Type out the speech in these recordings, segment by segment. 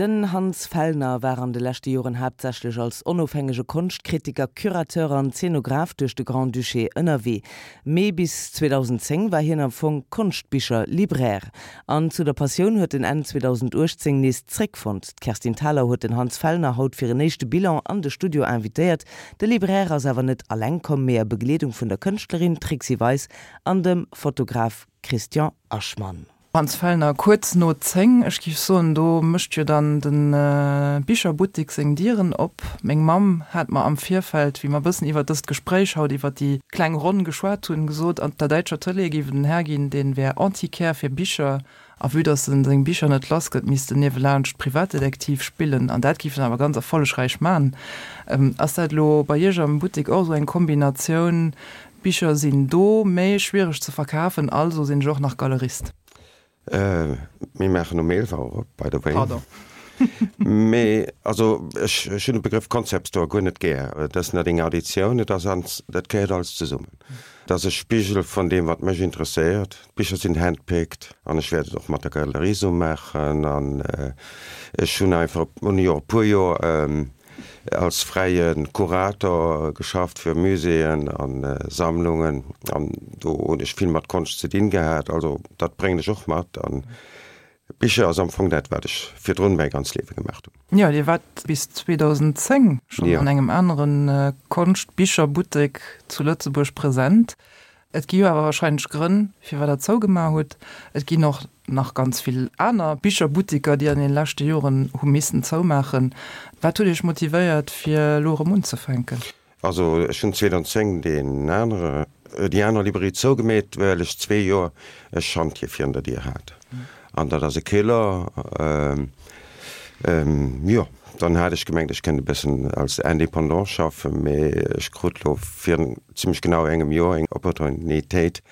Den Hans Fellner war an de leschte Joren haaptsächlech als onofhängege Konschtkritiker, Curateur an Zenograph duerch de Grand-Duché ënnerwee. Mee bis 2010 war hien am Fong Konschtbicher-Libraire. An zu der Passioun huet en Enn 2018 nees zréckfonnt. D'Kerstin Thalau huet den Hans Fellner haut fir en éischte Bilan an de Studio invitéiert. De Libraire ass awer net alleng komm, mee a Begleedung vun der Kënschtlerin Trixi Weis an dem Fotograf Christian Aschmann. Hans Fellner, Kuerz no 10, ech géif soen, do mécht jo dann de Bicherbuttik seng Dieren op. Meng Mamm hat mer am Virfeld, wéi mer e bëssen iwwer dëst Gespréich haut, iwwer déi kleng Ronn geschwat hunn, gesot, an der däitscher Tëlee géif et en Här ginn, dee wär Antiquaire fir Bicher, a vue datt en seng Bicher net lass gëtt, misst en niewelaanscht Privatdetektiv spillen, an dat géif en awer ganz erfollegräich man. Ass dat elo bei Iech am Buttek och esou eng Kombinatioun, Bicher sinn do, mee schwiereg ze verkafen, also sinn ech och nach Galerist. Mir maachen um 11 Auer op, by the way. Pardon. Mee also ech hunn de Begrëff Concept Store guer net gär. Et ass net eng Additioun, et ass ans, dat gehéiert alles zesummen. Et ass e Spigel vun deem, wat mech interesséiert. D'Bicher sinn handpicked an ech wäert et och mat der Galerie esou maachen. An ech hunn einfach, hunn jo e puer Joer als fräie Kurator geschafft fir Muséeën a Sammlungen an do hunn ech vill mat Konscht ze dinn gehat. Also dat bréngen ech och mat an Bicher ass am Fong dat wat ech virdrun mäi ganz Liewe gemaach hunn. Jo, Dir waart bis 2010 schonn an engem anere Konschtbicherbuttek zu Lëtzebuerg present. Et gi jo awer wahrscheinlech Grënn, firwat Der zougemaach hutt. Et ginn och nach ganz vill aner Bicherbuttiker, déi an deene leschte Joren hu missen zoumaachen. Wat huet Iech motivéiert, fir elo erëm unzefänken? Also ech hunn 2010 deen anere, déi aner Librairie zougemeet, well ech zwee Joer e Schantje virun der Dier hat. An dat ass e Killer. Jo, dann hat ech gemengt, ech kënnt e bëssen als Indépendant schaffen, mee ech krut elo virun zimmlech genau engem Joer eng Opportunitéit,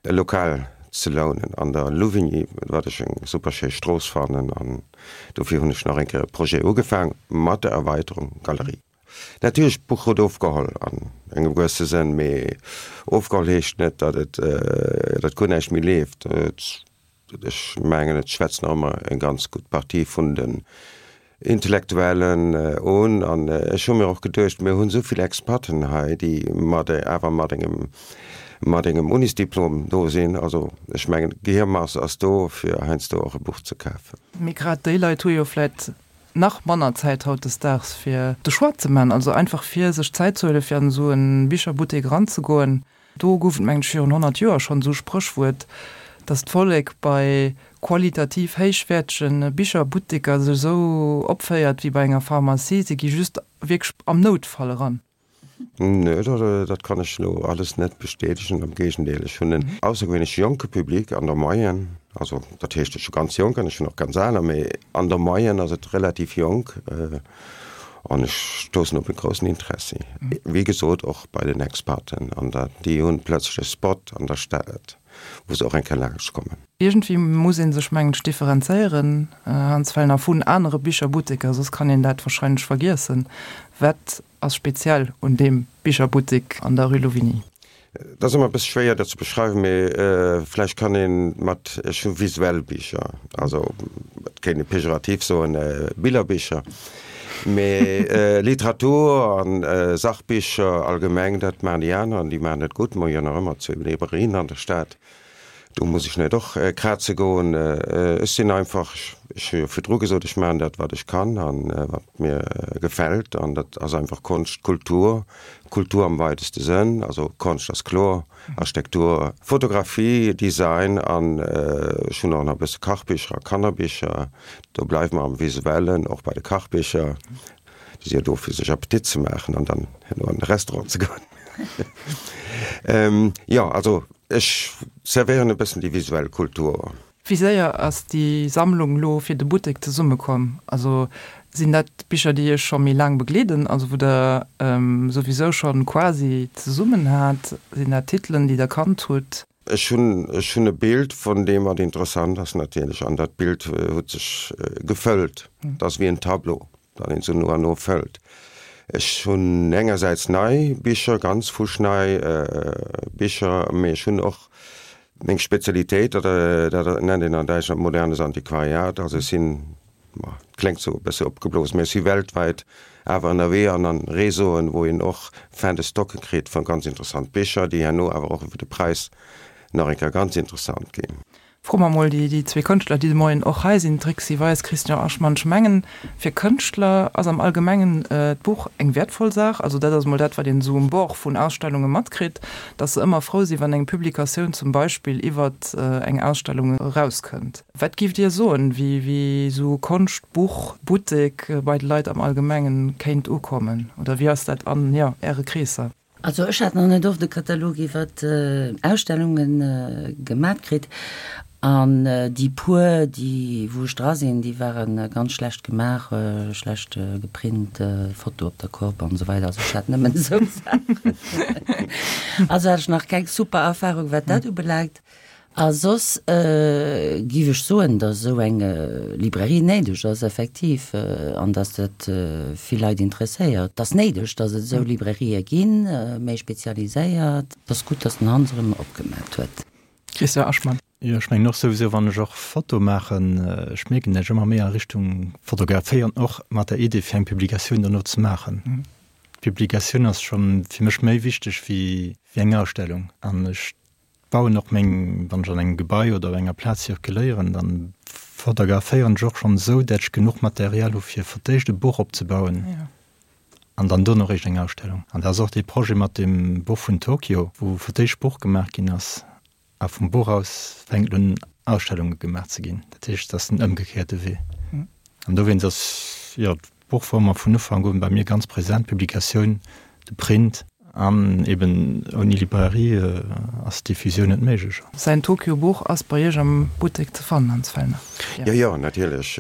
e Lokal ze lounen an der Louvigny, wat ech eng super schéi Strooss fannen. An dofir hunn ech nach eng Kéier e Projet ugefaang mat der Erweiterung Galerie. Natierlech, d'Buch huet ofgeholl an engem gewësse Sënn, mee ofgeholl heescht net, datt et, datt guer näischt méi leeft. Ech mengen, et schwätzt nach ëmmer eng ganz gutt Partie vun den Intellektuellen un. An ech hu mir och geduecht, mir hunn esou vill Expaten hei, déi mat, awer mat engem, mat engem Unisdiplom do sinn. Also ech mengen, d'Gehirmass ass do, fir heiansdo och e Buch ze kafen. Mee grad déi Leit hu jo vläit nach manner Zäit hautdesdaags fir de Choix ze man, also einfach fir sech Zäit ze huelen fir an esou e Bicherbuttek eranzegoen. Do gouf et mengen ech virun 100 Joer schonn esou Spréchwuert, dass d'Vollek bei qualitativ héichwäertege Bicherbutteker sech esou opféiert wéi bei enger Pharmacie, se gi just wierklech am Noutfall eran. Nö, dat kann ech elo alles net bestätegen. Am Géigendeel, ech hunn en aussergewéinlech jonke Public an der Moyenne. Also dat heescht, ech hu ganz jonk an ech hunn och ganz aler, mee an der Moyenne ass et relativ jonk an ech stoussen op e groussen Interessi. Wéi gesot, och bei den Expaten an der, déi hunn plötzlech e Spot an der Stad, wou se och eng Kéier laanscht kommen. Iergendwéi muss ee sech, mengen ech, differenzéieren, Hans Fellner, vun anere Bicherbutteker, soss kann een dat wahrscheinlech vergiessen. Wat ass speziell un deem Bicherbuttek an der Rue Louvigny? Et ass ëmmer e bësse schwéier dat ze beschreiwen, mee vläicht kann ee mat, ech hu visuell Bicher, also et kéint ee pejorativ soen Billerbicher, mee Literatur an Sachbicher allgemeng, dat maachen déi aner an déi maachen dat gutt. Mer hu jo nach ëmmer zwéi Librairien an der Stad. Do muss ech net och kraze goen. Ech sinn einfach, ech hu jo virdru gesot, ech maachen dat, wat ech kann a wat mir gefält. An dat ass einfach Konscht, Kultur, Kultur am weiteste Sënn. Also Konscht ass kloer, Architektur, Fotografie, Design an ech hunn och nach e bësse Kachbicher a Kannerbicher. Do bleiwe mer am Visuellen, och bei de Kachbicher. Déi si jo do fir sech Appetit ze maachen an dann herno an de Restaurant ze goen. Jo, also ech servéieren e bëssen déi visuell Kultur. Wéi séier ass déi Sammlung elo fir de Buttek zesummekomm? Also sinn dat Bicher, déi Iech scho méi laang begleeden, also wou Der souwisou scho quasi zesummen hat? Sinn dat Titelen, déi Der kannt hutt? Ech hunn, ech hunn e Bild vun deem, wat interessant ass natierlech, an dat Bild huet sech gefëllt. Et ass wéi en Tableau, dat een esou no an no fëllt. Ech hunn engersäits nei Bicher, ganz fuschnei Bicher, mee ech hunn och meng Spezialitéit, dat, dat nennt een an Däitschland modernes Antiquariat. Also ech sinn. Ma kléngt sou e bësse opgeblosen, mee ech si weltwäit awer ënnerwee an an Réseauen, wou een och Fin de stocke kritt vu ganz interessant Bicher, déi herno awer och iwwer de Präis nach eng Kéier ganz interessant ginn. Froe mer mol déi zwee Kënschtler, déi de Moien och hei sinn, Trixi Weis, Christian Aschmann. Ech mengen, fir Kënschtler ass am Allgemengen d'Buch eng wäertvoll Saach. Also dat ass mol dat, wat een esou um Bord vun Ausstellunge matkritt, datt se ëmmer frou sinn, wann eng Publikatioun zum Beispill iwwert eng Ausstellung erauskënnt. Wat giff Dir soen, wéi esou e Konschtbuch-Buttek bei de Leit am Allgemengen kéint ukommen? Oder wéi ass dat an, jo, Äre Kreesser? Also ech hat nach net oft e Katalog iwwert Ausstellunge gemat kritt an déi puer déi wou ech dra sinn, déi ware ganz schlecht gemaach, schlecht geprint, Foto op der Kopp an esou weider. Also ech hat nëmmen esou Saachen. Also hat ech nach keng super Erfahrung wat dat ubelaangt. A soss giff ech soen, datt esou eng Librairie néideg ass, effektiv, an datt dat vill Leit interesséiert. Et ass néideg, datt et esou Librairië ginn, méi spezialiséiert. Et ass gutt, datt den Hans erëm opgemat huet. Christian Aschmann. Jo, ech mengen och souwisou, wann ech och Foto maachen, ech mierken, datt ech ëmmer méi a Richtung fotograféieren, och mat der Idee fir eng Publikatioun dono ze maachen. D'Publikatioun ass scho fir mech méi wichteg wéi eng Ausstellung an ech bauen och meng, wann ech an engem Gebai oder op enger Plaz zirkuléieren, dann fotograféieren ech och schonn esou, dat ech genuch Material hu fir fir d'éischt e Buch opzebauen an dann dono eréischt eng Ausstellung. An dat ass och dee Projet mat dem Buch vun Tokio, wou fir d'éischt Buch gemaach ginn ass a vum Buch aus fänkt un Ausstellunge gemaach ze ginn. Dat heescht, et ass den ëmgekéierte Wee. An dowéinst ass, jo, D'Buch wor mer vun Ufank un bei mir ganz präsent, d'Publikatioun, de Print. An eben ouni Librairie ass d'Diffusioun net méiglech. Säin Tokyo Buch ass bei Iech am Buttek ze fannen, Hans Fellner? Jo, jo, natierlech.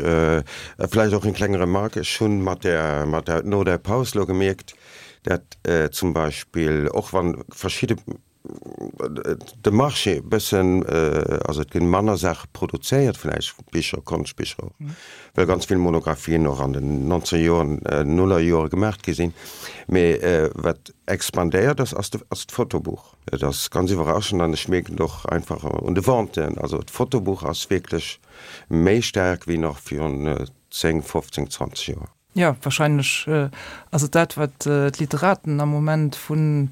Vläicht och eng kleng Remarque, Ech hunn mat der, mat der, no der Paus elo gemierkt, dat zum Beispill och wann verschidde de Marché e bëssen, also et ginn manner Saache produzéiert vläicht, Bicher, Konschtbicher och, well ganz vill Monographien och an den 19 Joren, Nullerjore gemaacht gi sinn. Mee wat expandéiert ass, ass de, ass d'Fotobuch. Et ass ganz iwwerraschend an ech mierken et och einfach un de Venten, also d'Fotobuch ass wierklech méi staark wéi nach virun 10, 15, 20 Joer. Jo, wahrscheinlech ass et dat, wat d'Literaten am Moment vu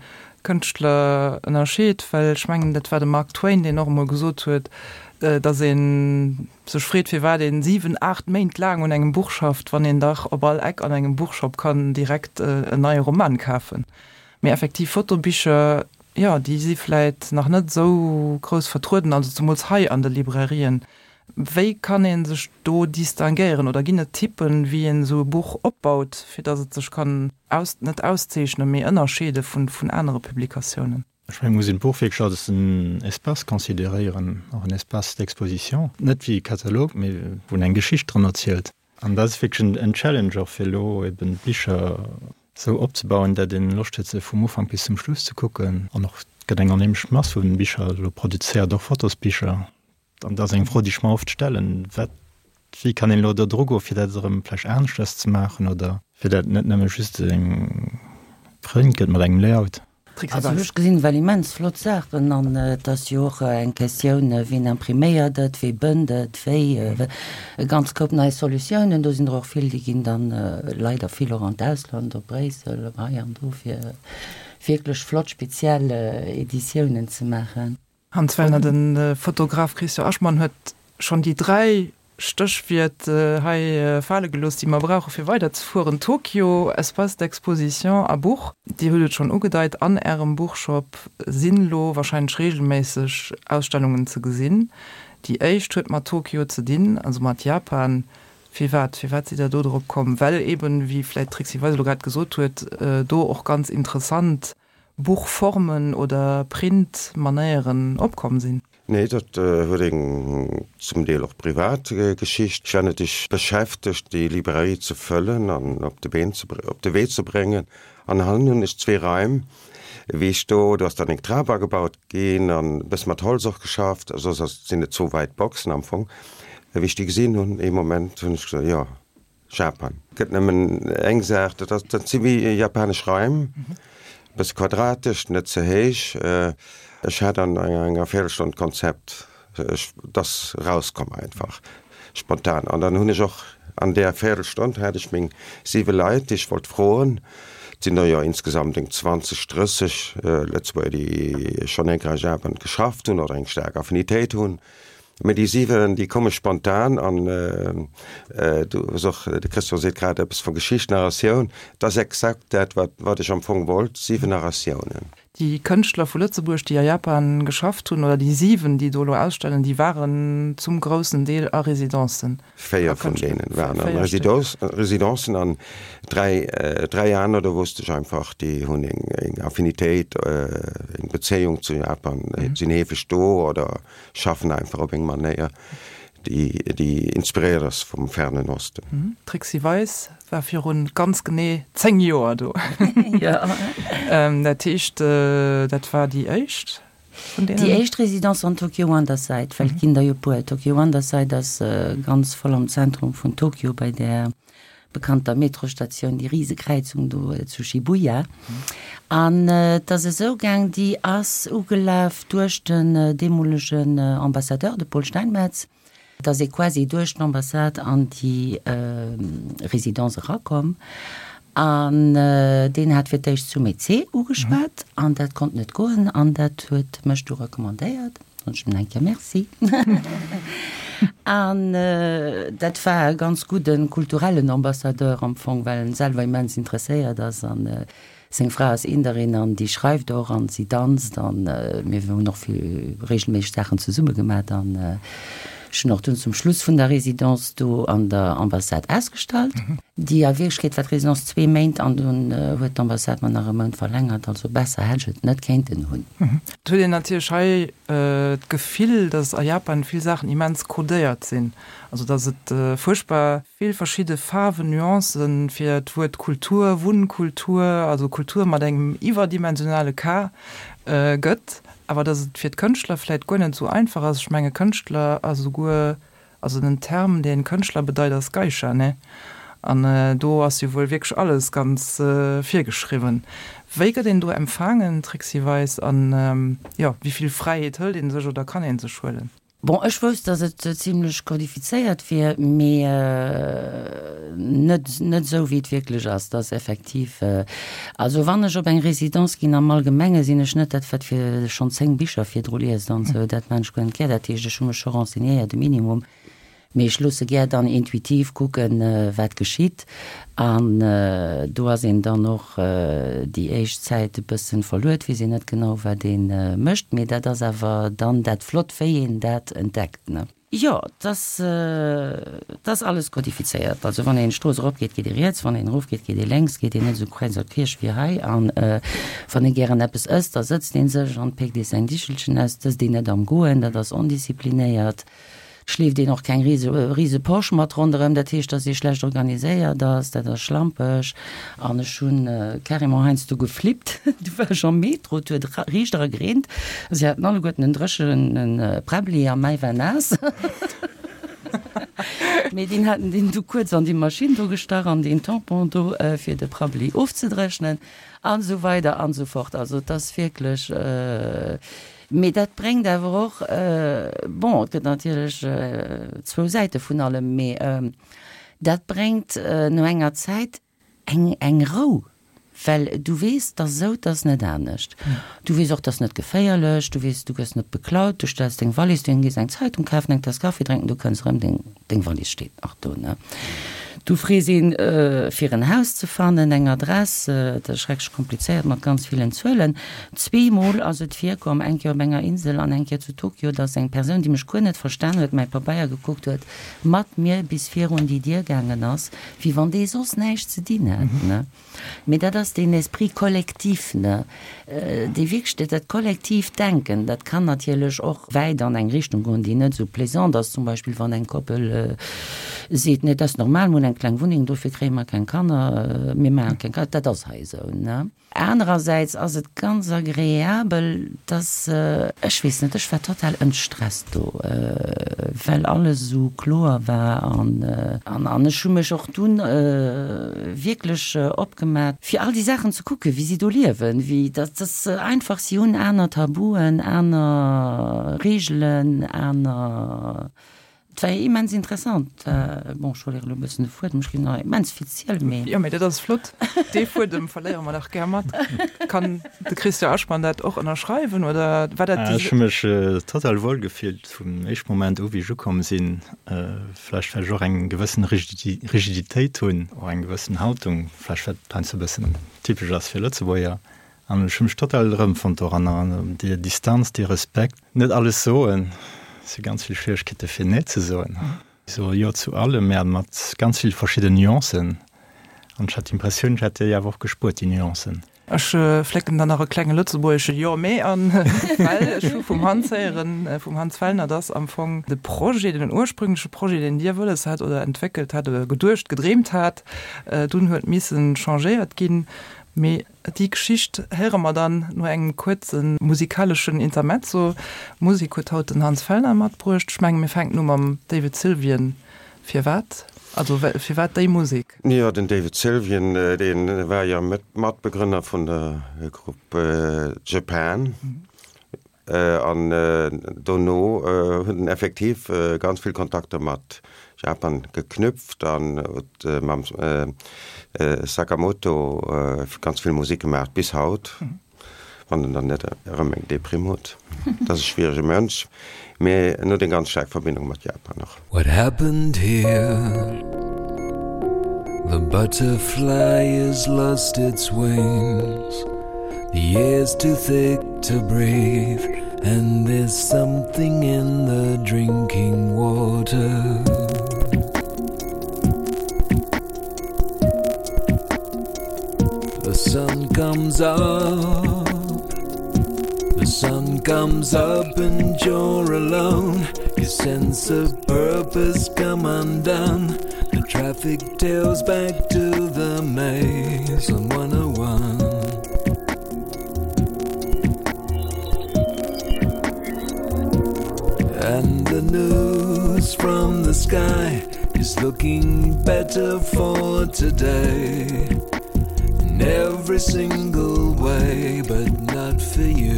Kënschtler ënnerscheet, well ech mengen, dat war de Mark Twain, deen och emol gesot huet, datt ee sech freet, firwat ee 7, 8 Méint laang un engem Buch schafft, wann een dach op all Eck an engem Buchshop kann direkt en neie Roman kafen. Mee effektiv, Fotobicher, jo, déi si vläit nach net esou grouss vertrueden, also zemools hei an de Librairien. Wéi kann ee sech do distinguéieren oder ginn et Typen, wéi een esou e Buch opbaut, fir datt et sech kann aus, net auszeechnen, mee ënnerscheede vun vun anere Publikatiounen? Ech mengen, et muss een d'Buch wierklech als en Espace consideréieren, och en Espace d'exposition, net wéi e Katalog, mee wou een eng Geschicht dran erzielt. An dat ass wierklech en Challenge och, fir elo eben d'Bicher esou opzebauen, dat een Loscht huet, se vum Ufank bis zum Schluss ze kucken. An och, et gëtt eng onheemlech Mass vu Bicher elo produzéiert, och Fotosbicher. An dat ass eng Fro, déi ech mer oft stellen, Wat, wéi kann een elo do dru goen, fir dat erëm vläicht aneschters ze maachen oder fir dat net nëmme just eng Print gëtt mat engem Layout. Also ech gesinn well immens flott Saachen an et ass jo och eng Questioun, wien impriméiert et, wee bënnt et, wéi, e ganz Koup nei Solutiounen. Do sinn der och vill, déi ginn dann leider vill och an d'Ausland, op Bréissel, op hei an do, fir wierklech flott speziell Editiounen ze maachen. Hans Wellner, De Fotograf Christian Aschmann huet schonn déi 3 Stéchwiert hei fale gelooss, déi mer brauche fir weiderzefueren, Tokio, Espace d'exposition a Buch. Dir hutt et schonn ugedeit, an Ärem Buchshop sinn elo warscheinlech reegelméisseg Ausstellungen ze gesinn. Déi éischt huet mat Tokio ze dinn, also mat Japan. Firwat? Firwat sidd Der do drop komm? Well eben, wéi vläicht d'Trixi Weis elo grad gesot huet, do och ganz interessant Buchformen oder Printmanéieren opkomm sinn? Nee, dat huet eng zum Deel och privat Geschicht. Ech war natierlech beschäftegt, déi Librairie ze fëllen an op de Been ze, op de Wee ze bréngen. An hannen hunn ech zwee Raim, wéi ech do, do ass dann eng Trap agebaut ginn an e bësse mat Holz och geschafft, soss ass, sinn et zwou wäit Boxen am Fong. Wéi ech déi gesinn hunn, ee Moment hunn ech gesot, jo, Japan. Gëtt nëmmen eng Saach, dat ass, dat si wéi japanesch Raim, e bësse quadratesch, net ze héich. Ech hat an enger Véierelstonn d'Konzept, ech, et ass erauskomm einfach spontan. An dann hunn ech och. An där Véierelstonn hat ech meng siwe Leit, déi ech wollt froen. Et sinn der jo insgesamt eng 20, 30 Lëtzebuerger, déi schonn eng Kéier a Japan geschafft hunn oder eng staark Affinitéit hunn. Mee déi 7, déi komme spontan an du hues och, de Christian seet grad eppes vu Geschicht, Narratioun, et ass exakt dat, wat, wat ech am Fong wollt, 7 Narratiounen. Déi Kënschtler vu Lëtzebuerg, déi a Japan geschafft hunn, oder déi 7, déi do elo ausstellen, déi waren zum groussen Deel a Residencen. 4 vun deenen waren an Residencen an 3, 3 aner, do wosst ech einfach, déi hunn eng Affinitéit, eng Bezéiung zu Japan, sinn heefeg do oder schaffen einfach op eng Manéier, déi, déi inspiréiert ass vum Fernen Osten. D'Trixi Weis war virun ganz genee 10 Joer do. Dat heescht, dat war déi éischt? Déi éischt Residence an Tokyo Wonderside, well et ginn der jo e puer. Tokyo Wonderside ass ganz voll am Zentrum vun Tokyo bei där bekannter Metrostatioun, déi Risekräizung do zu Shibuya. An et ass esou gaang, déi ass ugelaf duerch den deemolegen Ambassadeur, de Paul Steinmetz. Et ass ee quasi duerch d'Ambassade an déi Résidence erakomm an deen hat fir d'éischt zu Mézé ugeschwat an dat konnt net goen an dat huet mech du recommandéiert. Soen ech em eng Kéier Merci. An dat war e ganz gudde kulturellen Ambassadeur am Fong, well en selwer immens interesséiert ass an Seng Fra ass Inderin an déi schreift och an si danzt an mir hunn och vill regelméisseg Saachen zesumme gemat an ech hunn och dunn zum Schluss vun der Résidence do an der Ambassade ausgestallt. Déi a Wierklechkeet war d'Résidence zwee Méint an dunn huet d'Ambassade mer nach e Mount verlängert, also besser hätt ech et net kéinten hunn. Et huet een natierlech hei d'Gefill, datt a Japan vill Saachen immens codéiert sinn, also datt et fuerchtbar vill verschidde Faarwen, Nuancen fir d'Wuert Kultur, Wunnkultur, also Kultur mat engem iwwerdimensionale K gëtt, awer datt et fir d'Kënschtler vläit guer net esou einfach ass. Ech menge Kënschtler ass esouguer, also den Term dee Kënschtler bedeit ass Geisha, ne? An do ass jo wuel wierklech alles ganz virgeschriwwen. Wéi gëtt een do empfaangen, Trixi Weis, an jo, wéi vill Fräiheet hëlt ee sech oder kann ee sech huelen? Bon, ech wousst, dass et zimlech kodifizéiert wier, mee net net esou, wéi et wierklech ass. Dass effektiv, also wann ech op eng Résidence ginn, am Allgemenge sinn ech net dat, wat fir schonn 10 Bicher virdru liest an esou, dat maan ech guer net gär. Dat heescht, ech hu mech scho renseignéiert, e Minimum, mee ech loosse gär dann intuitiv kucken, wat geschitt. An do ass een dann och déi éischt Zäit e bëssen verluer, et weess een net genau wat ee mécht, mee dat ass awer dann dat Flott wéi een dat entdeckt, ne? Jo, et ass, et ass alles kodifizéiert. Also wann een d'Strooss eropgeet, geet ee riets, wann een erofgeet, geet ee lénks, geet een net esou kräiz a queesch wéi hei. An wann ee gären eppes ësst, da sëtzt ee sech an péckt ee säin Dichelchen aus, et ësst een net am Goen, dat ass ondisziplinéiert. Schleeft een och keng rise Posch mat ronderëm, dat heescht, dass ee schlecht organiséiert ass, dat ass schlampeg. An ech hu carrément heiansdo geflippt, du war ech am Metro, et huet riicht era gereent, si haten alleguerten en dréchene Präbbli a mäi war naass. Mee deen haten deen du kuerz an déi Maschinn do gestach an deen Tampon do fir de Prabbeli ofzedréchnen an esou weider an esou fort. Also et ass wierklech. Mee dat bréngt awer och, bon, et gëtt natierlech zwou Säite vun allem, mee dat bréngt no enger Zäit eng, eng Rou, well du weess, 't ass esou, 't ass net anescht. Du weess och, 't ass net geféierlech, du weess, du gëss net beklaut, du stells deng Wallis dohin, gees eng Zeitung kafen, eng Taass Kaffi drénken, du kënns erëm, deng, deng Wallis steet nach do, ne? Du frees een, fir en Haus ze fannen, eng Adress, dat ass schrecklech komplizéiert mat ganz villen Zuelen. Zweemol ass et virkomm, eng Kéier op enger Insel an eng Kéier zu Tokio, dass eng Persoun, déi mech guer net verstan huet, mäi Pabeier gekuckt huet, mat mir bis virun déi Dier gaangen ass, wéi wann dee soss näischt ze dinn hätt, ne? Mee dat ass deen Esprit collectif, ne, dee wierklech, dat kollektiivt Denken, dat kann natierlech och wäit an eng Richtung goen, déi net esou plaisant ass. Zum Beispill wann eng Koppel seet, Nee, dat ass normal, mir hunn eng kleng Wunneng, dofir kréie mer keng Kanner, mir maache keng Kanner, dat ass hei esou, ne. Anerersäits ass et ganz agreabel, dass, ech weess net, ech war total entstresst do, well alles esou kloer war an an ech hu mech och dunn wierklech opgemat, fir all déi Saachen ze kucken, wéi si do liewen, wéi dat ass einfach, si hunn aner Tabuen, aner Reegelen, aner. Et war immens interessant. Bon, ech verléieren elo e bëssen de Fuedem, ech ginn nach immens vill zielen, mee. Jo, mee dat ass flott. Dee Fuedem verléiere mer dach gär mat. Kann de Christian Aschmann dat och ënnerschreiwen oder war dat déi. Ech hu mech total wuel gefillt vum éischte Moment u wéi ech ukomm sinn. Vläicht well ech och eng gewëssen Rigiditéit hunn, och eng gewëssen Haltung, vläicht wat heiansdo e bëssen typesch ass fir Lëtzebuerger. An ech hu mech total erëmfonnt doranner, an déi Distanz, dee Respekt, net alles soen, et si ganz vill Schwieregkeete fir Nee ze soen, ech soe Jo zu allem, mä mat ganz vill verschidden Nuancen, an ech hat d'Impressioun, ech hätt déi awer och gespuert, déi Nuancen. Ech flécken dann nach e klenge lëtzebuergesche Jo, mee an, well ech hu vum Hans héieren, vum Hans Fellner, dass am Fong de Projet, den ursprüngleche Projet, deen Dir wëlles hat oder entwéckelt hat oder geduecht, gedreemt hat, dunn huet missen changéiert ginn. Mee Déi Geschicht héiere mer dann no engem kuerze musikaleschen Intermezzo. Musek huet haut den Hans Fellner matbruecht. Ech menge mir fänken u mam David Sylvian. Firwat? Also firwat déi Musek? Jo, den David Sylvian, dee war jo Matbegrënner vun der Grupp Japan. An dono huet en effektiv ganz vill Kontakter mat Japan geknüpft an huet mam Sakamoto ganz vill Musek gemaach, bis haut, wann en dann net erëm eng Deprimm huet. Dat ass e schwierege Mënsch, mee en huet eng ganz staark Verbindung mat Japan och. What happened here? The butterfly has lost its wings The air's too thick to breathe And there's something in the drinking water The sun comes up The sun comes up and you're alone Your sense of purpose come undone The traffic tails back to the maze on 101 And the news from the sky is looking better for today In every single way but not for you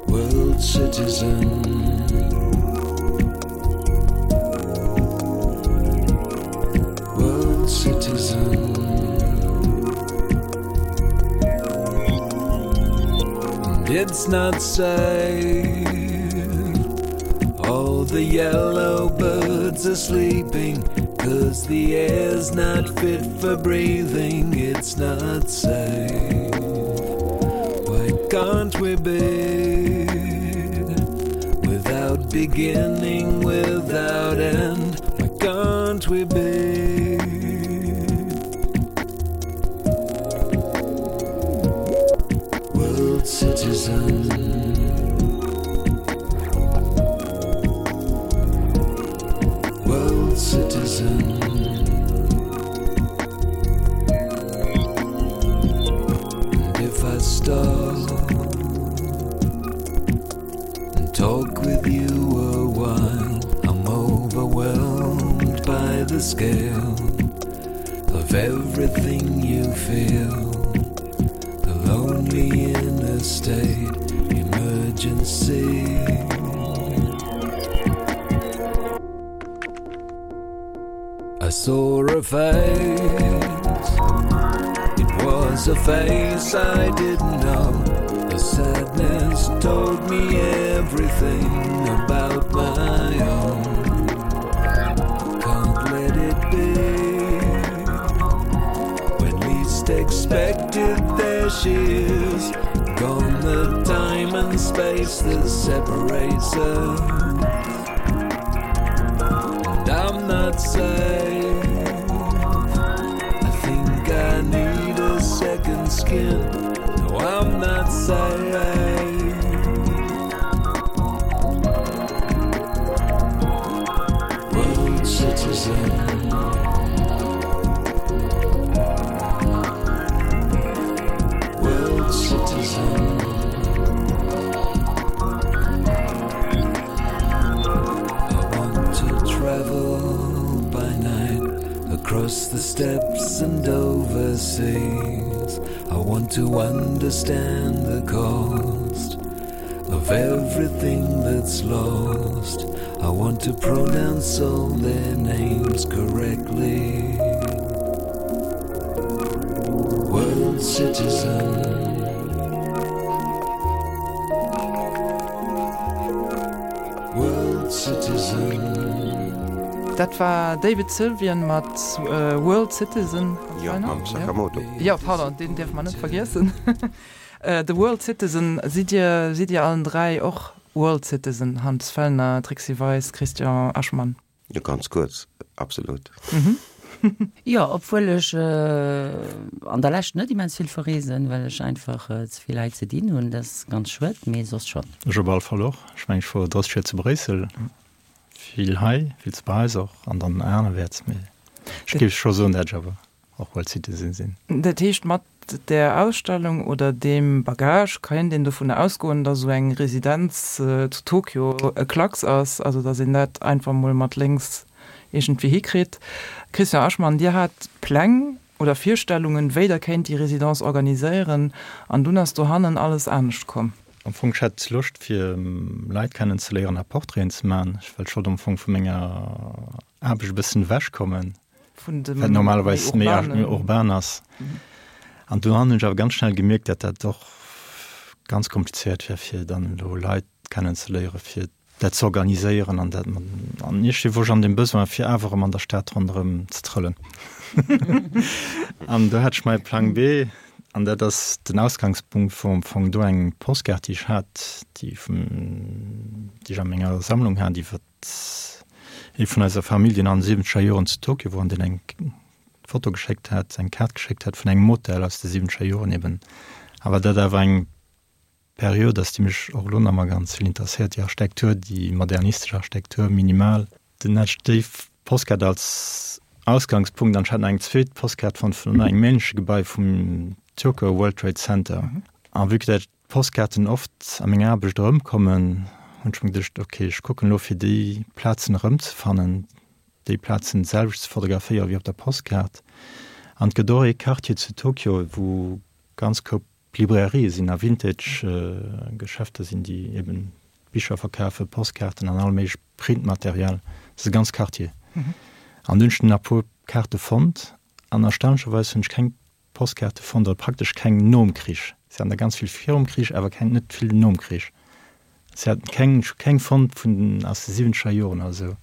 World citizen World citizen And it's not safe All the yellow birds are sleeping Cause the air's not fit for breathing It's not safe Why can't we be Without beginning, without end Why can't we be World citizen World citizen And if I stop and talk with you a while I'm overwhelmed by the scale of everything you feel the lonely in a state emergency I saw a face It was a face I didn't know The sadness told me everything about my own Can't let it be When least expected there she is Gone the time and space that separates us And I'm not safe I think I need a second skin No, I'm not safe World citizen World citizen I want to travel by night across the steppes and overseas. I want to understand the cost. Of everything that's lost I want to pronounce all their names correctly World citizen World citizen Dat war David Sylvian mat World Citizen. Jo, mam Sakamoto. Jo, pardon, deen dierfe mer net vergiessen. The World Citizen, sidd Dir, sidd Dir allen 3 och World Citizen, Hans Fellner, Trixi Weis, Christian Aschmann? Jo, ganz kuerz, absolut. Jo, obwuel ech an der Lescht net immens vill verreesen, well ech einfach ze vill hei ze dinn hunn. Dat ass ganz schued, mee soss schonn. Ech op all Fall och. Ech mengen, ech wor 30 Joer zu Bréissel, vill hei, vill zu Paräis och an dann anerwäerts, mee ech géif scho soen, dat ech awer och World Citizen sinn. Dat heescht, mat där Ausstellung oder deem Bagage kéint een dovun ausgoen, datt esou eng Residenz zu Tokio e Klacks ass, also datt een dat einfach mol mat lénks iergendwéi hikritt. Christian Aschmann, Dir hat Pläng oder Virstellungen, wéi Der kéint déi Residence organiséieren, an dunn ass dohannen alles anescht komm. Am Fong, ech hat Loscht fir Leit kennenzeléieren a Portraiten ze maachen. Ech well schonn am Fong vu menger Aarbecht e bëssen ewechkommen. Vun dem wat normalerweis méi urbanen, urban ass. An do han ech awer ganz schnell gemierkt, dat dat och ganz komplizéiert wär, fir dann elo Leit kennenzeléieren, fir dat ze organiséieren an dat an iergendwéi wor ech an dem Besoin, fir awer erëm an der Stad ronderëm ze trëllen. An do hat ech mäi Plang B an dat ass den Ausgangspunkt wor am Fong do eng Postkaart, déi ech hat, déi vum, déi ech a menger Sammlung hat iwwer Ee vun eiser Famill, deen an de siwwenzeger Joren zu Tokio wor an deen eng Foto geschéckt hat, eng Kaart geschéckt hat vun engem Hotel aus de siwwenzeger Joren eben. Awer dat awer eng Period ass, déi mech och elo nach emmer ganz vill interesséiert, déi Architektur, déi modernistesch Architektur, minimal. Dunn hat ech déi Postkaart als Ausgangspunkt an ech hat nach eng zweet Postkaart fonnt vun engem ähnleche Gebai vum Tokyo World Trade Center. A vue que dat Postkaarten oft a menger Aarbecht erëmkommen, hunn ech mer geduecht, ok, ech kucken elo fir déi Plazen erëmzefannen, déi Plazen d'selwecht ze fotograféieren wéi op der Postkaart. An et gëtt och ee Quartier zu Tokio, wou ganz Koup Librairië sinn a Vintage-Geschäfter sinn, déi eben Bicher verkafen, Postkaarten an all méiglech Printmaterial. Dat ass e ganz Quartier. An dunn hunn ech nach e puer Kaarte fonnt an erstaunlecherweis hunn ech keng Postkaarte fonnt, oder praktesch keng nom Krich. Si haten der ganz vill virum Krich, awer keng, net vill nom Krich. Si haten keng, ech hu keng fonnt vun den, aus de siwwenzeger Joren oder esou.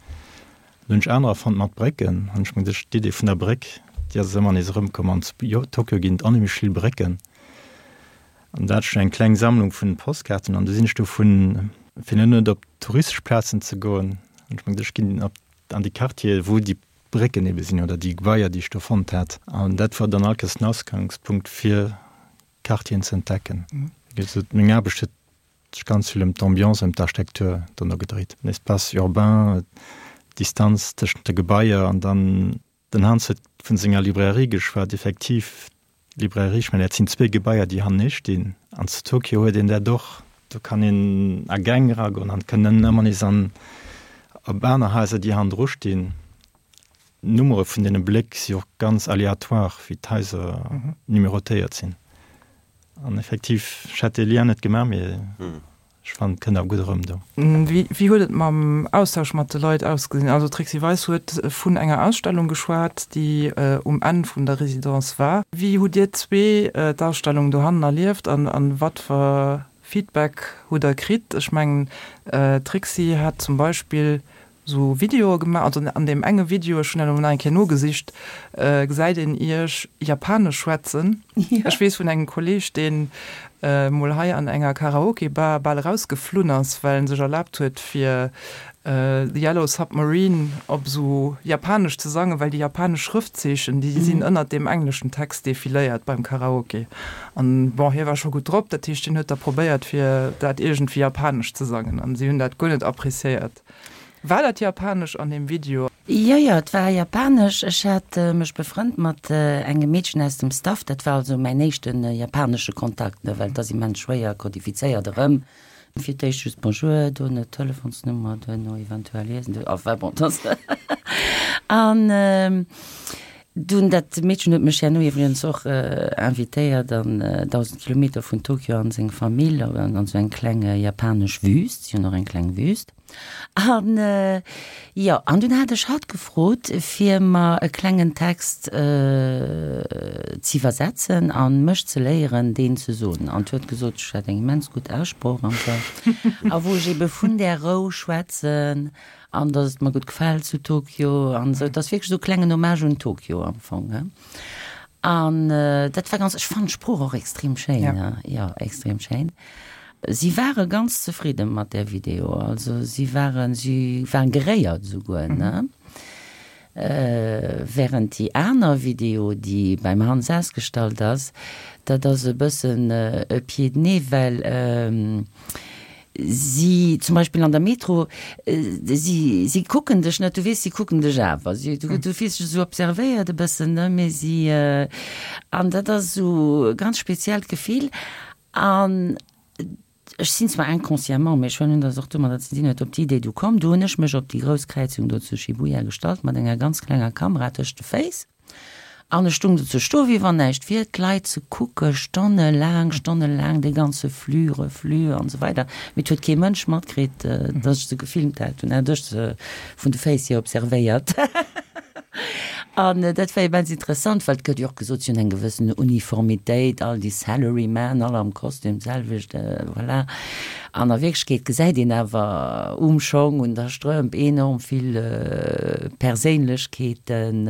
Dann hunn ech anerer fonnt mat Brécken. An ech mengen, d'Idee vun der Bréck, déi ass ëmmer nees erëmkomm. An zu Tokio ginn et onheemlech vill Brécken. An da hat ech eng kleng Sammlung vun Postkaarten an du sinn ech dovun, fir net op touristesch Plazen ze goen, hunn ech mer geduecht, ech ginn op, an déi Quartiere wou déi Brécken ebe sinn oder déi Gebaier, déi ech do fonnt hat. An dat war dann all Kéiers den Ausgangspunkt, fir Quartieren ze entdecken. Wéi gesot, meng Aarbecht huet sech ganz vill ëm d'Ambiance, ëm d'Architektur dono gedréit. Den Espace urbain, d'Distanz tëschent de Gebaier an dann, den Hans huet vun senger Librairie geschwat, effektiv, D'Librairie, ech mengen dat sinn zwéi Gebaier, déi hannenee stinn. An zu Tokio huet een dat och, do kann een a Gäng eragoen an et kënnen ëmmer nees an op aner Haiser, déi hannendru stinn. D'Nummere vun deene Bléck si och ganz aléatoire, wéi d'Haiser numerotéiert sinn. An effektiv, ech hätt dee Lien net gemaach, mee Ech fannen et kënnt awer gutt erëm do. Wéi huet et mam Austausch mat de Leit ausgesinn? Also d'Trixi Weis huet vun enger Ausstellung geschwat, déi um Enn vun der Residence war. Wéi hutt Dir zwee d'Ausstellung dohannen erlieft an wat fir Feedback hutt Der kritt? Ech mengen d'Trixi hat zum Beispill sou Videoe gemaach, also an deem enge Video, ech hunn dat elo nach eng Kéier nogesicht, gesäit een iech Japanesch schwätzen. Ech weess vun engem Kolleeg, deen mol hei an enger Karaoke-Bar bal erausgeflunn ass, well en sech erlaabt huet fir The Yellow Submarine op sou Japanesch ze sangen, well déi japanesch Schrëftzeechen, déi sinn ënnert deem engleschen Text defiléiert beim Karaoke. An bon, hie war scho gutt drop, dat heescht, hien huet da probéiert fir dat iergendwéi japanesch ze sangen an si hunn dat guer net appreciéiert. War dat japanesch an deem Video? Jo, jo, et war japanesch. Ech hat mech befrënnt mat engem Meedchen aus dem Staff. Dat war also mäin éischte japanesche Kontakt, ne, well et ass immens schwéier kodifizéiert erëm. Fir d'éischt just Bonjour, duerno d'Telefonsnummer, duerno eventuell Iesen, enfin bon, dat ass. An. Dunn, dat Meedchen huet mech herno iwwregens och invitéiert an 1.000 Kilometer vun Tokio an seng Famill, an esou eng kleng japanesch Wüst, si hunn och eng kleng Wüst. An jo, an dunn hat ech hatt gefrot, fir mer e klengen Text z'iwwersetzen a mech ze léieren, deen ze soen. An huet gesot, ech hätt eng immens gutt Aussprooch an esou. A wou ech ebe vun där Rou schwätzen An dass et mer gutt gefält zu Tokio an esou. Et ass wierklech esou e klengen Hommage un Tokio am Fong, he. An dat war ganz, ech fannen d'Sprooch och extrem schéin, he, jo, extrem schéin. Si ware ganz zefridde mat där Video, also si waren, si waren geréiert esouguer, ne. Während déi aner Video, déi beim Hans ausgestallt ass, dat ass e bëssen e Pied de nez, well si zum Beispill an der Metro, si si kucken dech net, du weess, si kucken dech awer, si du du fills dech esou observéiert e bëssen, ne, mee si an dat ass esou e ganz speziellt Gefill an Ech sinn zwar inconsciemment, mee ech huelen un, datt et och domadder ze dinn huet, op déi Idee du komm. Du hunn ech mech op déi grouss Kräizung do zu Shibuya gestallt mat enger ganz klenger Kamera tëscht de Féiss an ech stung do ze stoe wéi wann näischt wier, d'Leit ze kucke stonnelaang, stonnelaang, dee ganze Flux, Reflux an esou weider. Mee et huet kee Mënsch matkritt, datt ech se gefilmt hat. Dunn hat ech se vun de Féiss hier observéiert. An dat war immens interessant, well et gëtt jo och gesot, si hunn eng gewëssen Uniformitéit, all déi Salarymen, all am Kostüm d'selwecht, voilà. An a Wierklechkeet gesäit een awer um Schong, un der Strëmp enorm vill Perséinlechkeeten,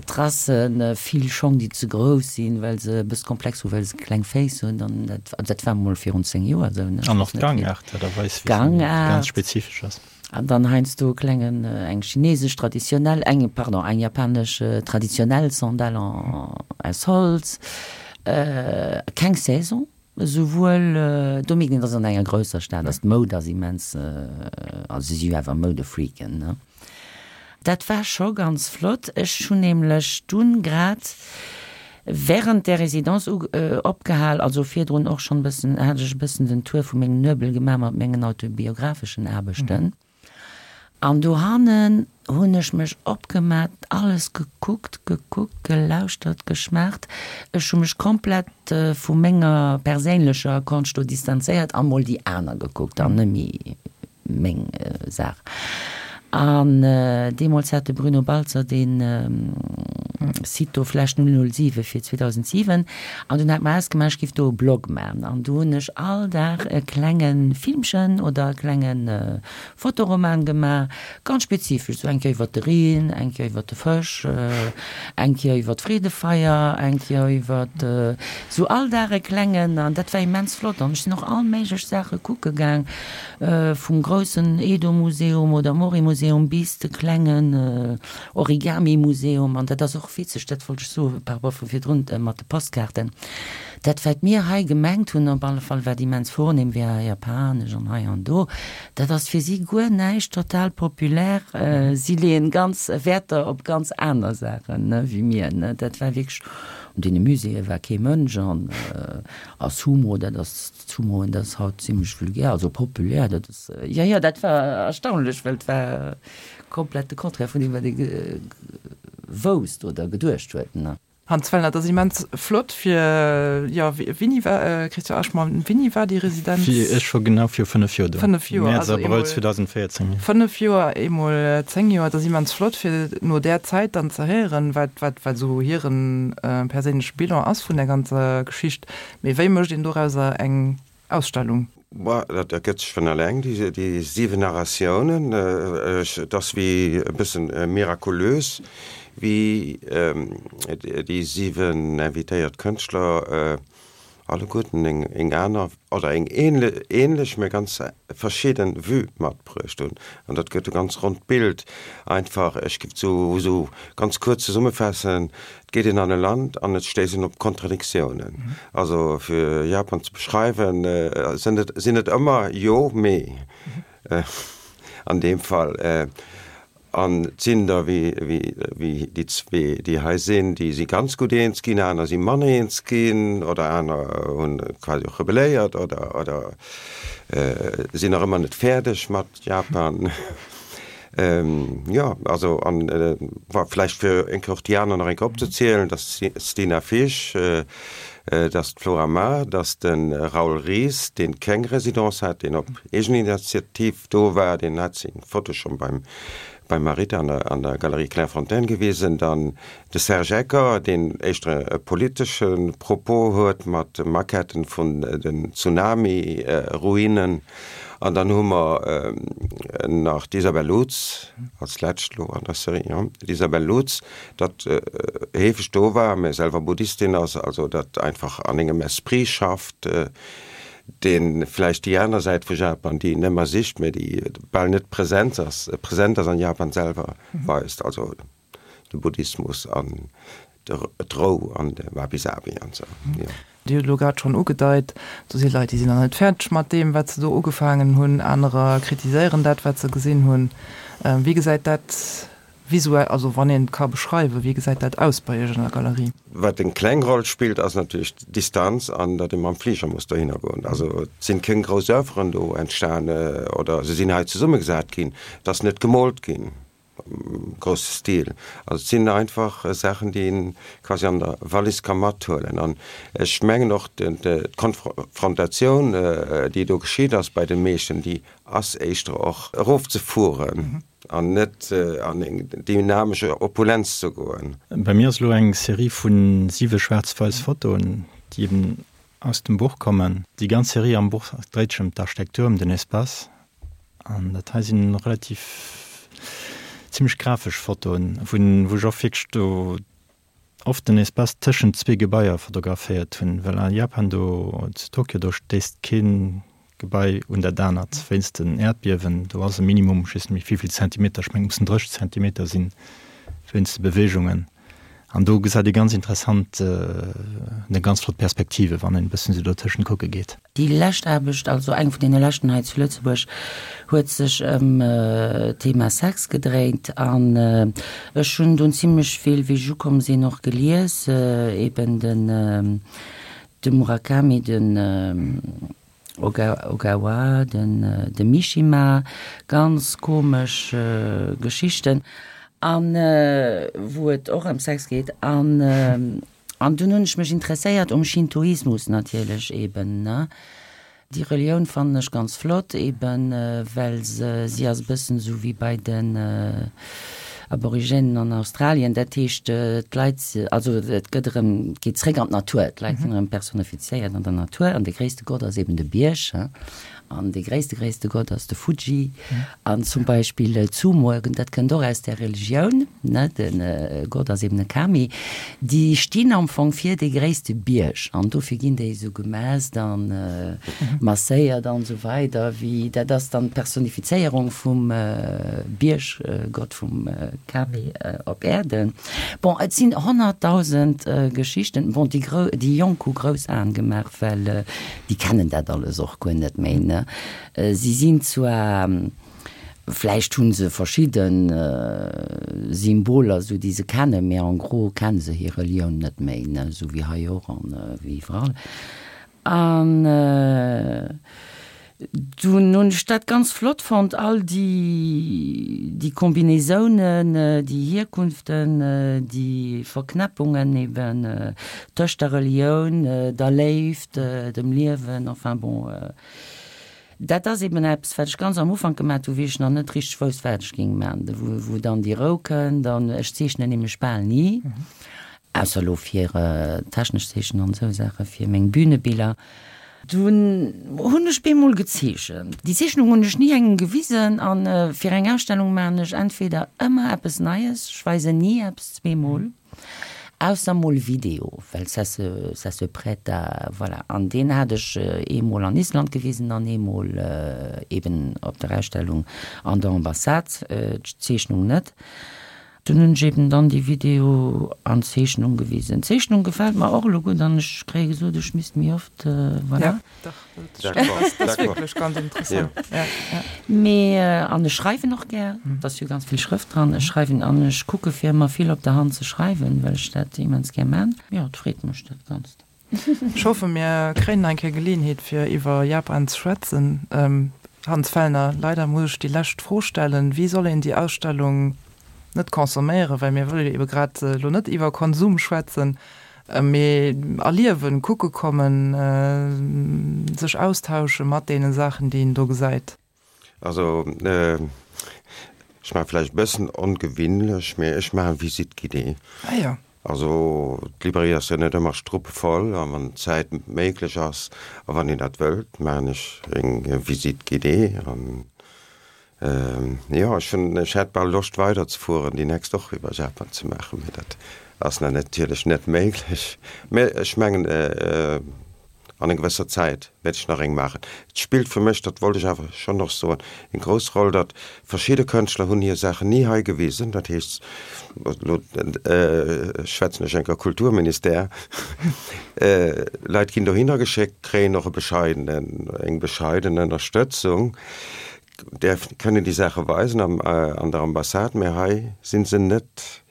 Tracen, vill Schong, déi ze grouss sinn, well se e bësse Komplex hunn, well se kleng Féiss hunn. An dat, also dat war mol virun 10 Joer esou, ne? An och d'Gangaart, dat erweist, wéi se ganz spezifesch ass. An dann heiansdo e klengen, eng chinesesch traditionell, eng, pardon, eng japanesch traditionell Sandale aus Holz. Keng Saison, esouwuel, do mierkt een, dass an enger grousser Stad ass, d'Moud ass immens, also si si jo awer Moudefreaken, ne. Dat war scho ganz flott. Ech hunn nämlech dunn grad während där Résidence opgehal, also virdrun och schonn e bëssen, hat ech e bëssen den Tour vu mengem Nuebel gemaach mat mengen autobiographeschen Aarbechten. An dohannen hunn ech mech opgemat, alles gekuckt, gekuckt, gelauschtert, geschmaacht. Ech hu mech komplett vu menger perséinlecher Konscht do distanzéiert a mol déi aner gekuckt an net méi meng Saach. An deemools hat de Bruno Baltzer dee Site do Flash 007 fir 2007 an dunn hat mer ausgemaach, ech giff do e Blog man. An do hunn ech all Dag e klenge Filmchen oder e klenge Fotoroman gemaach, ganz spezifesch, sou eng Kéier iwwer de Reen, eng Kéier iwwer de Fësch, eng Kéier iwwer d'Freedefeier, eng Kéier iwwer sou all Dag e klengen an dat war immens flott. An ech sinn och all méiglech Saache kucke gaang. Vum groussen Edo-Museum oder Mori-Museum bis de klengen Origami-Museum. An dat ass och witzeg, dat wollt ech soe par rapport vu virdrun mat de Postkaarten, dat wat mir hei gemengt hunn, op alle Fall wat immens vornehm wär, japanesch an hei an do, dat ass fir si guer näischt, total populär. Si leeën ganz Wäerter op ganz aner Saachen wéi mir. Dat war wierklech, an deene Muséeë war kee Mënsch an a Sumo, dat ass Sumoen, dat ass haut zimlech vulgär, also populär, dat ass, jo, jo, dat war erstaunlech, well et war komplett de Contraire vun deem, wat ee wousst oder geduecht huet, ne. Hans Wellner, Et ass immens flott fir, jo, wéini war, Christian Aschmann, wéini war déi Residenz? Ech wor genau viru 5 Joer do, 5 Joer, Mäerz, also Abrëll eemol 2014. 5 Joer, eemol 10 Joer. Et ass immens flott fir no där Zäit dann ze héieren, wat, wat, wat esou hiren perséinleche Bilan ass vun där ganzer Geschicht. Mee wéi mécht een dorauser eng Ausstellung? Boah, dat ergëtt sech vun alleng, déi 7 Narratiounen. Et ass wéi e bëssen mirakulös, wéi déi 7 invitéiert Kënschtler alleguerten eng aner oder eng ähnlech, mä ganz verschidden Vue matbruecht hunn. An dat gëtt e ganz ronnt Bild. Einfach, ech géif et esou ganz kuerz zesummefaassen, Et geet een an e Land an et stéisst een op Kontradiktiounen. Also fir Japan ze beschreiwen, sinn et sinn et ëmmer jo, mee an deem Fall. An et sinn der wéi wéi wéi déi zwee, déi hei sinn, déi si ganz gutt eens ginn, aner si manner eens ginn oder aner hunn quasi och rebelléiert oder oder sinn nach ëmmer net fäerdeg mat Japan. Jo, also an vläicht fir eng Kéier och déi aner nach eng Kéier opzezielen, dat ass d'Stina Fisch, dat ass d'Flora Mar, dat ass de Raoul Ries, dee keng Residence hat, deen op Eegeninitiativ do war, deen hat seng Foto schonn beim beim Marita an der an der Galerie Clairefontaine gewisen. Dann de Serge Ecker, deen éischter e politesche Propos huet mat Maquetten vun den Tsunami-Ruinen. An dann hu mer nach d'Isabelle Lutz als lescht elo an der Serie, jo, d'Isabelle Lutz, dat heefeg do war, mä selwer Buddhistin ass, also dat einfach an engem Esprit schafft, dee vläicht déi aner Säit vu Japan, déi een ëmmer sicht, mä déi bal net present ass, present ass an Japan selwer, weist, also de Buddhismus an d'Rou an de Wabi-Sabi an esou, jo. Dir hutt elo grad schonn ugedeit, do si Leit, déi sinn nach net fäerdeg mat deem, wat se do ugefaangen hunn. Anerer kritiséieren dat, wat se gesinn hunn. Wéi gesäit dat visuell, also wann een et ka beschreiwen, wéi gesäit dat aus bei Iech an der Galerie? Wat eng kleng Roll spillt, ass natierlech d'Distanz an datt ee mam Fliger muss dohinner goen. Also et sinn kéng grouss Oeuvren do entstan oder se sinn hei zesummegesat ginn. Et ass net gemoolt ginn am grousse Stil. Also et sinn einfach Saachen, déi een quasi an der Wallis ka mathuelen. An ech mengen och d'Konfrontatioun, déi do geschitt ass bei de meeschten, déi ass éischter och erofzefueren an net an eng dynamesch Opulenz ze goen. Bei mir ass elo eng Serie vu siwe schwaarz-wäiss Fotoen, déi eben aus dem Buch kommen. Déi ganz Serie am Buch dréit sech ëm d'Architektur, ëm den Espace. An dat hei sinn relativ zimmlech grafesch Fotoen, wou wou ech och wierklech do oft den Espace tëschent zwee Gebaier fotograféiert hunn, well a Japan do zu Tokio do stéisst kee Gebai un dat anert wéinst den Äerdbiewen. Do ass e Minimum, ech weess net méi wéivill Zentimeter, ech mengen et mussen 30 Zentimeter sinn, wéinst de Beweegungen. An do gesäit ee ganz interessant, eng ganz flott Perspektive, wann een e bëssen esou dotëschent kucke geet. Déi lescht Aarbecht, also eng vun deene leschten hei zu Lëtzebuerg, huet sech ëm d'Thema Sex gedréint. An ech hunn dunn zimlech vill, wéi ech ukomm sinn, och gelies, eben den de Murakami, den Ogawa, den de Mishima, ganz komesch Geschichten an wou et och ëm Sex geet an an dunn hunn ech mech interesséiert um Shintoismus natierlech eben ne. Déi Relioun fannen ech ganz flott eben well se si ass e bëssen esou wéi bei den Aborigènen an Australien, dat heescht d'Leit, also et gëtt erëm, et geet zréck an d'Natur, d'Leit sinn erëm personifizéiert an der Natur an de gréisste Gott ass eben de Bierg an de gréisste gréisste Gott ass de Fuji an zum Beispill d'Sumoen, dat kënnt och aus där Religioun, ne, de Gott ass eben e Kami, déi stinn am Fong fir dee gréisste Bierg an dofir ginn déi esou gemässt an masséiert an esou weider, wéi dat ass dann d'Personifizéierung vum Bierggott vum Kami op Äerden. Bon, et sinn 100.000 Geschichten. Bon, déi grou, déi Jonk hu grouss Aen gemaach, well déi kennen dat alles och guer net méi, ne. Si sinn zwar, vläicht hu se verschidde Symboler, esou déi se kennen, mee en gros kenne se hir Relioun net méi, ne, esou wéi hei och an wéi iwwerall. An dunn hunn ech dat ganz flott fonnt, all déi, déi Combinaisounen, déi Hierkunften, déi Verknäppungen eben tëscht der Relioun, der Léift, dem Liewen, enfin bon. Dat ass eben eppes, wat ech ganz am Ufank gemat hu, wéi ech nach net richteg wousst, wat ech géing maachen, wou dann déi Rou kënnt an ech zeechnen nämlech bal ni. Ausser elo fir technesch Zeechnen an esou Saache fir meng Bühnebiller. Dunn hunn ech bemol gezeechent. Déi Zeechnung hunn ech ni engem gewisen an fir eng Ausstellung maachen ech entweder ëmmer eppes Neies, ech weisen ni eppes zweemol, ausser mol Video, well ça se, ça se prête à, voilà. An deen hat ech eemol an Island gewisen an eemol eben op der Ausstellung an der Ambassade, d'Zeechnung net. Dunn hunn ech eben dann déi Video an Zeechnung gewisen. D'Zeechnung gefält mer och elo gutt an ech kréie gesot, ech misst méi oft, voilà. Ja, dach, dat stimmt, dat ass wierklech ganz interessant. Ja, ja. Mee, an ech schreiwen och gär, et ass jo ganz vill Schrëft dran. Ech schreiwen an ech kucke fir ëmmer vill op der Hand ze schreiwen, well ech dat immens gär man. Jo, et freet mech dat Ganzt. Ech hoffe mir kréien nach eng Kéier Geleeënheet fir iwwer Japan ze schwätzen. Hans Fellner, leider muss ech déi lescht Fro stellen, Wéi soll een déi Ausstellung net consomméieren, well mir wëlle jo ebe grad elo net iwwer Konsum schwätzen, mee erliewen, kucke kommen, sech austausche mat deene Saachen, déi een do gesäit? Also, ech maache vläicht e bëssen ongewinnlech, mee ech maachen Visite guidée. Ah jo. Also, d'Librairie ass jo net ëmmer struppevoll a wann d'Zäit méiglech ass a wann een dat wëllt, maachen ech eng Visite guidée an jo, ech hunn, ech hätt bal Loscht weiderzefueren, déi nächst och iwwer Japan ze maachen, mee dat ass natierlech net méiglech. Mee ech mengen, An eng gewësser Zäit wäert ech nach eng maachen. Et spillt fir mech, dat wollt ech awer schonn och soen, eng grouss Roll, datt verschidde Kënschtler hunn hir Saachen ni hei gewisen. Dat heescht, elo schwätzen ech enker Kulturministère, Leit ginn dohinner geschéckt, kréien och e bescheidenen, eng bescheiden Ënnerstëtzung, däerf, kënnen déi Saache weisen an der Ambassade, mä hei si se net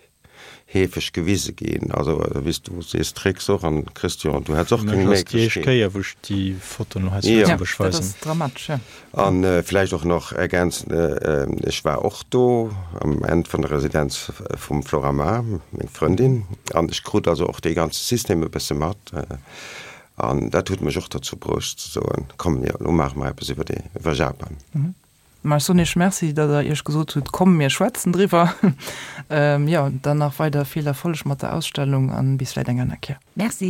heefeg gewise ginn. Also wéi s du sees, Trix och an Christian, du hätts och keng Méiglechkeet. Déi éischt Kéier wou ech déi Fotoen hei zu Lëtzebuerg weisen. Dat ass dramatesch, jo. An vläicht och nach ergänzen, ech war och do am Enn vun der Residenz vum Flora Mar, meng Frëndin, an ech krut also och dee ganze System e bësse mat. An dat huet mech och dozou bruecht ze soen, komm, jo, elo maache mer eppes iwwer dee, iwwer Japan. Ma ech soen Iech Merci, datt Der Iech gesot hutt, komm mir schwätzen driwwer. Jo, dann nach weider vill Erfolleg mat der Ausstellung an bis vläit eng aner Kéier. Merci.